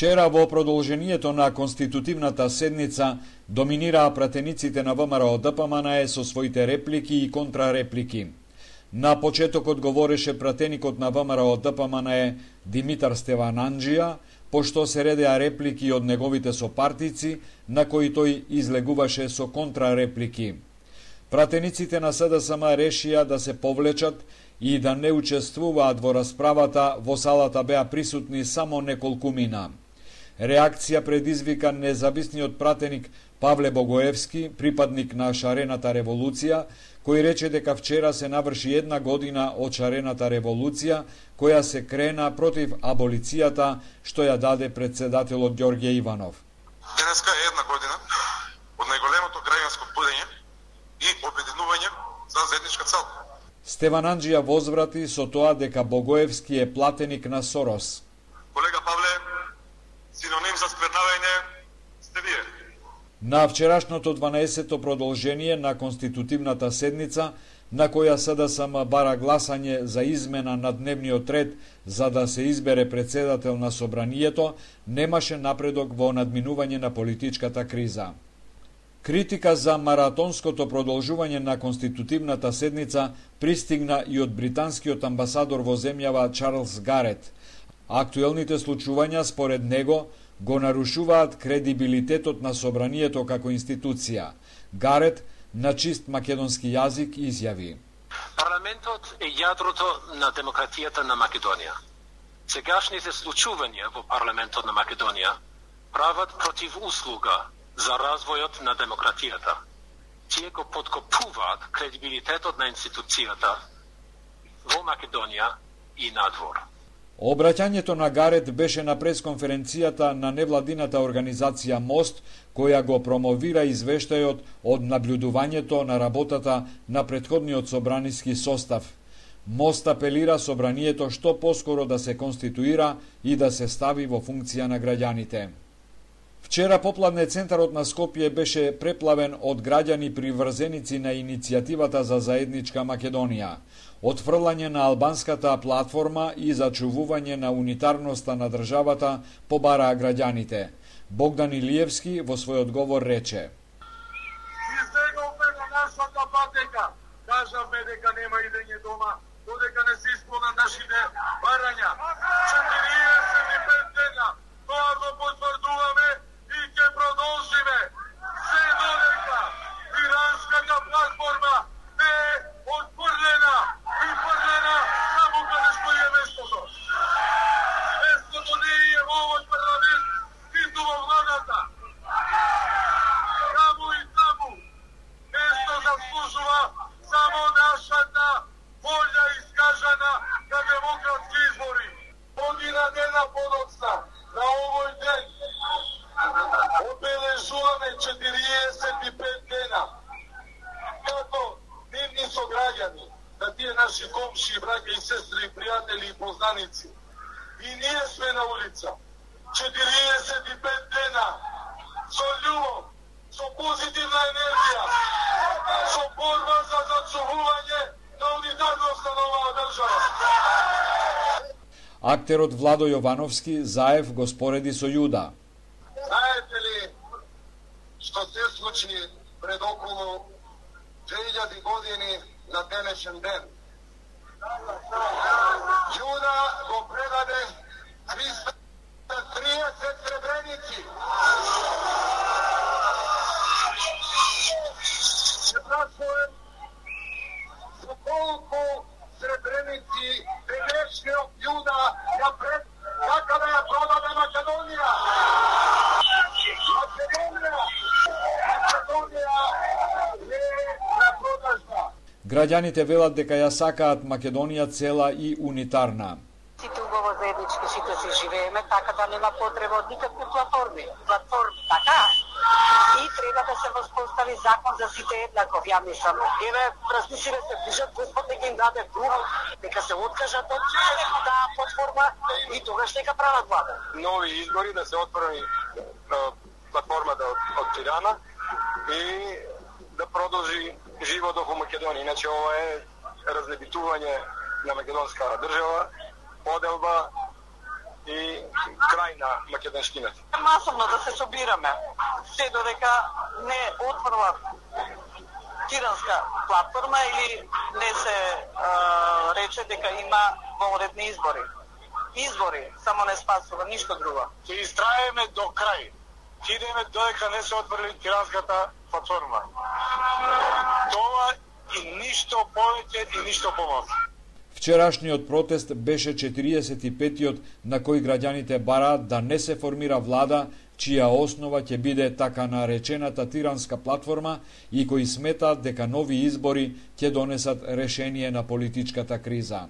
Вчера во продолжението на конститутивната седница доминираа пратениците на ВМРО ДПМНЕ со своите реплики и контрареплики. На почетокот говореше пратеникот на ВМРО ДПМНЕ Димитар Стевананџија, пошто се редеа реплики од неговите сопартици, на кои тој излегуваше со контрареплики. Пратениците на СДСМ решија да се повлечат и да не учествуваат во расправата. Во салата беа присутни само неколкумина. Реакција предизвика независниот пратеник Павле Богоевски, припадник на шарената револуција, кој рече дека вчера се наврши 1 година од шарената револуција, која се крена против аболицијата што ја даде председателот Ѓорѓе Иванов. Денеска е 1 година од најголемото граѓанско будење и обединување за заедничка цел. Стевананџија возврати со тоа дека Богоевски е платеник на Сорос. Колега Павле, синоним за сквернавање сте вие. На вчерашното 12-то продолжение на конститутивната седница, на која СДСМ бара гласање за измена на дневниот ред за да се избере председател на собранието, немаше напредок во надминување на политичката криза. Критика за маратонското продолжување на конститутивната седница пристигна и од британскиот амбасадор во земјава Чарлс Гарет. Актуелните случувања, според него, го нарушуваат кредибилитетот на собранието како институција. Гарет на чист македонски јазик изјави: Парламентот е јадрото на демократијата на Македонија. Сегашните случувања во парламентот на Македонија прават противуслуга за развојот на демократијата. Тие го подкопуваат кредибилитетот на институцијата во Македонија и надвор. Обраќањето на Гарет беше на пресконференцијата на невладината организација МОСТ, која го промовира извештајот од наблюдувањето на работата на претходниот собраниски состав. МОСТ апелира собранието што поскоро да се конституира и да се стави во функција на граѓаните. Вчера попладне центарот на Скопје беше преплавен од граѓани приврзеници на иницијативата за заедничка Македонија. Отфрлање на албанската платформа и зачувување на унитарноста на државата побараа граѓаните. Богдан Илиевски во својот говор рече: Избеговме на нашата патека, кажавме дека нема идење дома, додека не се исполнат нашите барања. 45 дена, тоа го потврдуваме и ќе продолжиме, се додека иранската платформа не е отфрлена и фрлена само каде што е местото. Местото не е во овој парламент, ниту во владата. Таму и таму место заслужува само нашата волја искажана на демократски избори. Година дена подоцна на овој ден обележуваме 45 дена како нивни сограѓани, на тие наши комши, браќа и сестри, пријатели и познаници. И ние сме на улица. 45 дена со љубов, со позитивна енергија, со борба за зачувување на унитарноста на оваа држава. Актерот Владо Јовановски заев го спореди со Јуда. Знаете ли што се случи пред околу 2000 години на денешен ден? Јуда го предаде 330 сребреници. Се прашувам со колку сребреници денешниот Јуда ја така да ја продаде Македонија. Македонија не е на продажба. Граѓаните велат дека ја сакаат Македонија цела и унитарна. Сите убаво заеднички сите се живееме, така да нема потреба од никакви платформи, така? И треба да се воспостави закон за сите еднаков, ја мислам. Еве, размислиме се, пишат Господ дека им даде дух, дека се откажат од таа платформа и тогаш нека прават влада. Нови избори да се отвори платформата од Тирана и да продолжи животот во Македонија. Иначе ова е разлебитување на македонска држава, поделба и крај на македонскината. Масовно да се собираме, се додека не отворва тиранска платформа или не се рече дека има вонредни избори. Избори само не спасува, ништо друго. Ќе истраеме до крај. Ќе идеме додека не се отврли тиранската платформа. Тоа и ништо повеќе и ништо помалку. Вчерашниот протест беше 45-тиот на кој граѓаните бараат да не се формира влада чија основа ќе биде така наречената тиранска платформа и кои сметаат дека нови избори ќе донесат решение на политичката криза.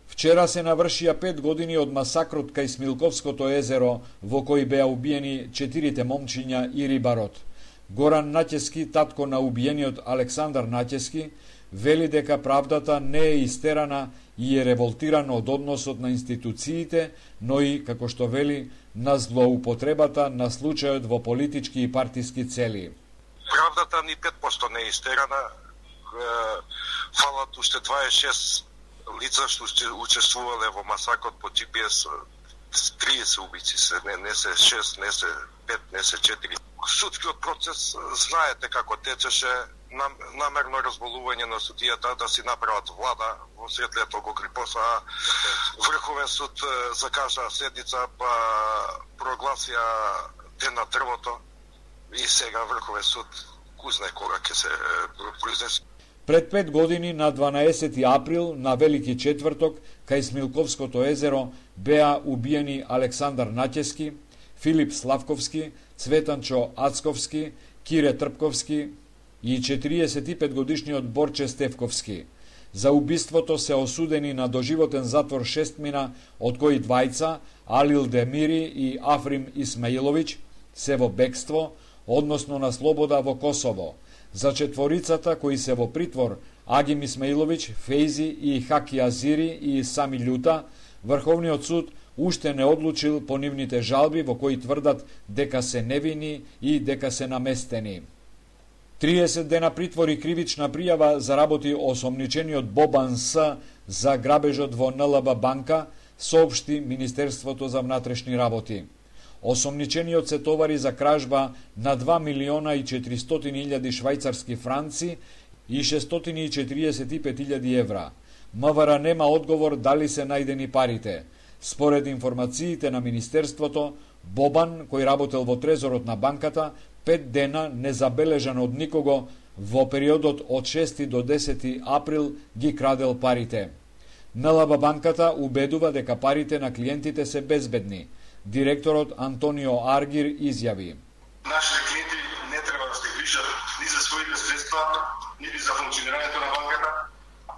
Вчера се навршија 5 години од масакрот кај Смилковското езеро во кој беа убиени 4 момчиња и рибарот. Горан Наќески, татко на убиениот Александар Наќески, вели дека правдата не е истерана и е револтиран од односот на институциите, но и, како што вели, на злоупотребата на случајот во политички и партиски цели. Правдата ни 5% не е истерана. Фалат уште 26 лица што учествувале во масакот по GPS, 30 убици се, не се 6, не се 5, не се 4. Судскиот процес знаете како течеше, намерно разболување на судијата да си направат влада во светлето го крипоса. Врховен суд закажа седница, па прогласија ден на дрвото и сега Врховен суд кузне кога ќе се произнесе. Пред 5 години, на 12 април, на Велики четврток, кај Смилковското езеро, беа убиени Александар Наќески, Филип Славковски, Цветанчо Ацковски, Кире Трпковски и 45-годишниот Борче Стефковски. За убиството се осудени на доживотен затвор 6 мина, од кои двајца, Алил Демири и Африм Исмаиловиќ, се во бегство, односно на слобода во Косово. За четворицата кои се во притвор, Агим Исмаиловиќ, Фейзи и Хаки Азири и Сами Љута, Врховниот суд уште не одлучил по нивните жалби во кои тврдат дека се невини и дека се наместени. 30 дена притвор и кривична пријава заработи осомничениот Бобан С за грабежот во НЛБ банка, соопшти Министерството за внатрешни работи. Осомничениот се товари за кражба на 2.400.000 швајцарски франци и 645.000 евра. МВР нема одговор дали се најдени парите. Според информациите на Министерството, Бобан, кој работел во трезорот на банката, 5 дена незабележан од никого, во периодот од 6 до 10 април ги крадел парите. НЛБ банката убедува дека парите на клиентите се безбедни. Директорот Антонио Аргир изјави: Нашите клиенти не треба да се грижат ни за своите средства, нити за функционирањето на банката,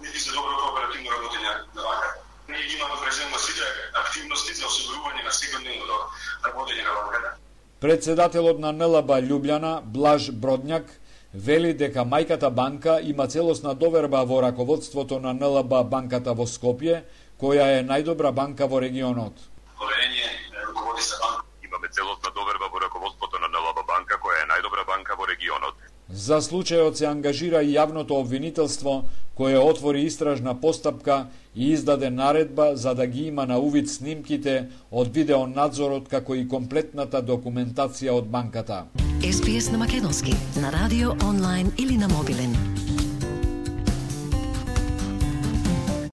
нити за доброто оперативно работење на банката. Ние имаме преземно сите активности за осигурување на секојдневното работење на банката. Председателот на НЛБ Љубљана, Блаж Бродњак, вели дека мајката банка има целосна доверба во раководството на НЛБ банката во Скопје, која е најдобра банка во регионот. Имаме целосна доверба во раководството на НЛБ банка, која е најдобра банка во регионот. За случајот се ангажира и јавното обвинителство, кое отвори истражна постапка и издаде наредба за да ги има на увид снимките од видеонадзорот како и комплетната документација од банката. SPS на македонски, на радио, онлайн или на мобилен.